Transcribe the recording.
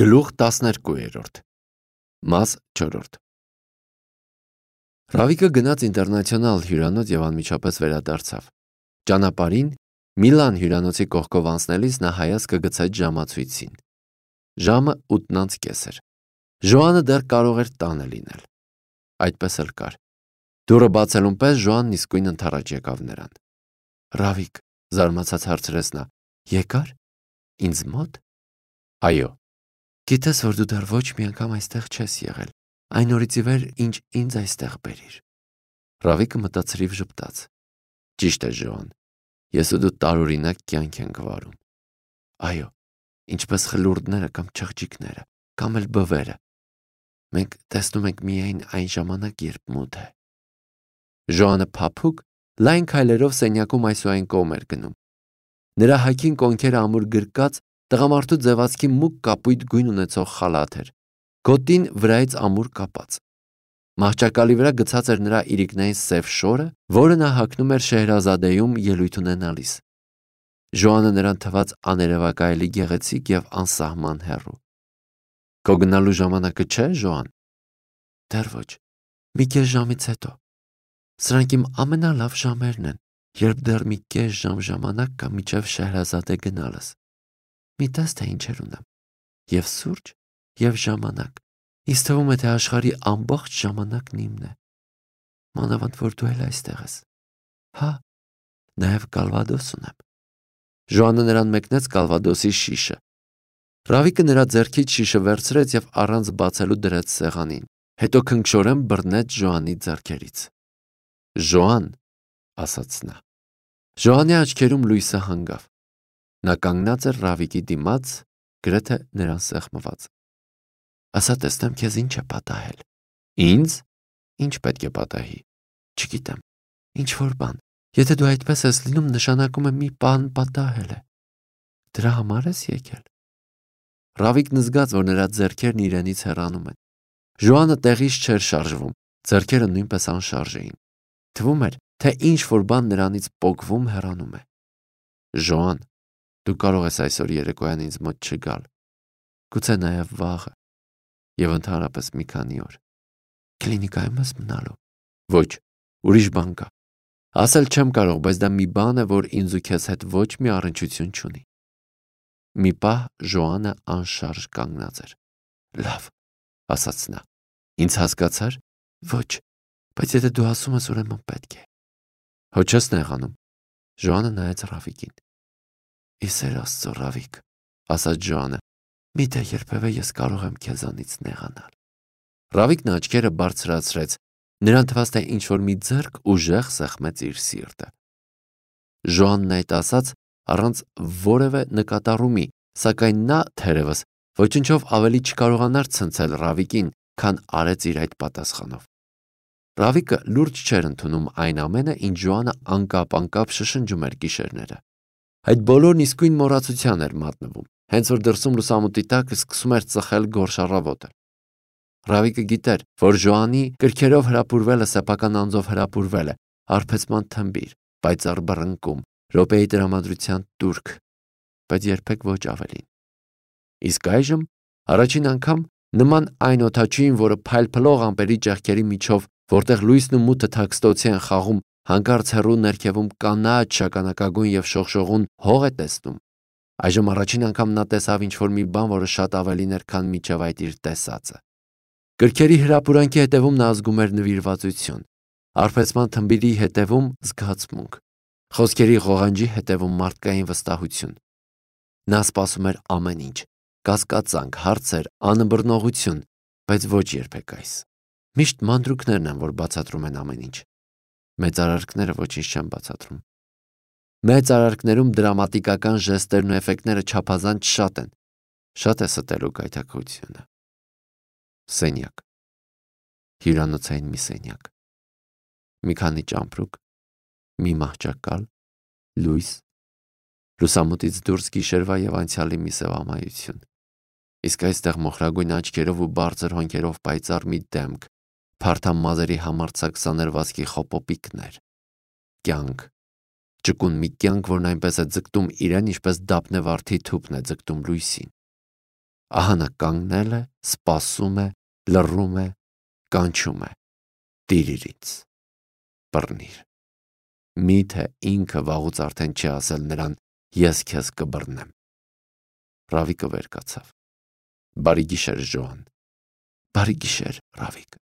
Գլուխ 12 Մաս 4 Ռավիկը գնաց ինտերնացիոնալ հյուրանոց և անմիջապես վերադարձավ։ Ճանապարհին Միլան հյուրանոցի կողքով անցնելիս նա հայացքը գցեց ժամացույցին։ Ժամը 8:30 էր։ Ժոանը դեռ կարող էր տանը լինել։ Այդպես էլ կար։ Դուռը բացելուն պես Ժոանն իսկույն ընդառաջ եկավ նրան։ Ռավիկ, զարմացած հարցրեց նա, եկա՞ր։ Ինձ մոտ։ Այո։ Գիտես, որ դու դեռ ոչ մի անգամ այստեղ չես եղել, այն օրից ի վեր, ինչ ինձ այստեղ բերիր։ Ռավիկը մտածրիվ ժպտաց։ Ճիշտ է, Ժոան, ես ու դու տարօրինակ կյանք ենք վարում։ Այո, ինչպես խլուրդները կամ չղջիկները, կամ էլ բվերը։ Մենք տեսնում ենք միայն այն ժամանակ, երբ մութ է։ Ժոանը փափուկ, լայն քայլերով սենյակում այս ու այն կողմ էր գնում։ Նրա հագին կոնքերը ամուր գրկած, տղամարդու ձևացքի մուգ կապույտ գույն ունեցող խալաթ էր, գոտին վրայից ամուր կապած։ Մահճակալի վրա գցած էր նրա իրիկնային սև շորը, որը նա հագնում էր Շեհրազադեում ելույթ ունենալիս։ Ժոանը նրան թվաց աներևակայելի գեղեցիկ և անսահման հեռու։ Քո գնալու ժամանակը չէ, Ժոան։ Դեռ ոչ, մի կես ժամից հետո։ Սրանք իմ ամենալավ ժամերն են, երբ դեռ մի կես ժամանակ կա մինչև Շեհրազադե գնալս։ Մի տես թե ինչեր ունեմ։ Եվ սուրճ, և ժամանակ։ Ինձ թվում է, թե աշխարհի ամբողջ ժամանակն իմն է։ Մանավանդ որ դու էլ այստեղ ես։ Հա, նաև կալվադոս ունեմ։ Ժոանը նրան մեկնեց կալվադոսի շիշը։ Ռավիկը նրա ձեռքից շիշը վերցրեց և առանց բացելու դրեց սեղանին, հետո քնքշորեն բռնեց Ժոանի ձեռքերից։ Ժոան, ասաց նա։ Ժոանի աչքերում լույսը հանգավ։ Նա կանգնած էր Ռավիկի դիմաց, գրեթե նրան սեղմված։ Ասա տեսնեմ քեզ ինչ է պատահել։ Ինձ։ Ինչ պետք է պատահի։ Չգիտեմ։ Ինչ-որ բան։ Եթե դու այդպես ես լինում, նշանակում է մի բան պատահել է։ Դրա համար ես եկել։ Ռավիկն զգաց, որ նրա ձեռքերն իրենից հեռանում են։ Ժոանը տեղից չէր շարժվում, ձեռքերը նույնպես անշարժ էին։ Թվում էր, թե ինչ-որ բան նրանից պոկվում հեռանում է։ Ժոան, դու կարող ես այսօր երեկոյան ինձ մոտ չգալ։ Գուցե նաև վաղը։ Եվ ընդհանրապես մի քանի օր։ Կլինիկայում ես մնալու։ Ոչ, ուրիշ բան կա։ Ասել չեմ կարող, բայց դա մի բան է, որ ինձ ու քեզ հետ ոչ մի առնչություն չունի։ Մի պահ Ժոանը անշարժ կանգնած էր։ Լավ, ասաց նա։ Ինձ հասկացար։ Ոչ, բայց եթե դու ասում ես, ուրեմն պետք է։ Հո չես նեղանում։ Ժոանը նայեց Ռավիկին։ Իսեր Աստծո, Ռավիկ, ասաց Ժոանը, միթե երբևէ ես կարող եմ քեզանից նեղանալ։ Ռավիկն աչքերը բարձրացրեց, նրան թվաց, թե ինչ-որ մի ձեռք ուժեղ սեղմեց իր սիրտը։ Ժոանն այդ ասաց առանց որևէ նկատառումի, սակայն նա, թերևս, ոչնչով ավելի չկարողանար ցնցել Ռավիկին, քան արեց իր այդ պատասխանով։ Ռավիկը լուրջ չէր ընդունում այն ամենը, ինչ Ժոանը անկապ շշնջում էր գիշերները։ Այդ բոլորն իսկույն մոռացության էր մատնվում, հենց որ դրսում լուսամուտի տակ սկսում էր ծխել գորշ առավոտը։ Ռավիկը գիտեր, որ Ժոանի կրքերով հրապուրվելը սեփական անձով հրապուրվել է, արբեցման թմբիր, պայծառ բռնկում, րոպեի տրամադրության տուրք, բայց երբեք ոչ ավելին։ Իսկ այժմ, առաջին անգամ, նման այն օդաչուին, որը փայլփլող ամպերի ճեղքերի միջով, որտեղ լույսն ու մութը թաքստոցի են խաղում, հանկարծ հեռու ներքևում կանաչ շագանակագույն և շողշողուն հող է տեսնում։ Այժմ առաջին անգամ նա տեսավ ինչ-որ մի բան, որը շատ ավելին էր, քան մինչև այդ իր տեսածը։ Կրքերի հրապուրանքի հետևում նա զգում էր նվիրվածություն, արբեցման թմբիրի հետևում զգացմունք, խոսքերի ղողանջի հետևում մարդկային վստահություն։ Նա սպասում էր ամեն ինչ, կասկածանք, հարցեր, անըմբռնողություն, բայց ոչ երբեք այս։ Միշտ մանրուքներն են, որ բացատրում են ամեն ինչ։ Մեծ արարքները ոչինչ չեն բացատրում։ Մեծ արարքներում դրամատիկական ժեստերն ու էֆեկտները չափազանց շատ են։ Շատ է ստելու գայթակղությունը։ Սենյակ։ Հյուրանոցային մի սենյակ։ Մի քանի ճամպրուկ, մի մահճակալ, լույս, լուսամուտից դուրս գիշերվա և անցյալի մի սև ամայություն։ Իսկ այստեղ մոխրագույն աչքերով ու բարձր հոնքերով պայծառ մի դեմք, փարթամ մազերի համարձակ սաներվածքի խոպոպիկներ։ Կյանք, ճկուն մի կյանք, որն այնպես է ձգտում իրեն, ինչպես դափնե վարդի թուփն է ձգտում լույսին։ Ահա նա կանգնել է, սպասում է, լռում է, կանչում է. «Տիրիր ինձ, բռնիր»։ Միթե ինքը վաղուց արդեն չի ասել նրան. «Ես քեզ կբռնեմ»։ Ռավիկը վեր կացավ։ Բարի գիշեր, Ժոան։ Բարի գիշեր, Ռավիկ։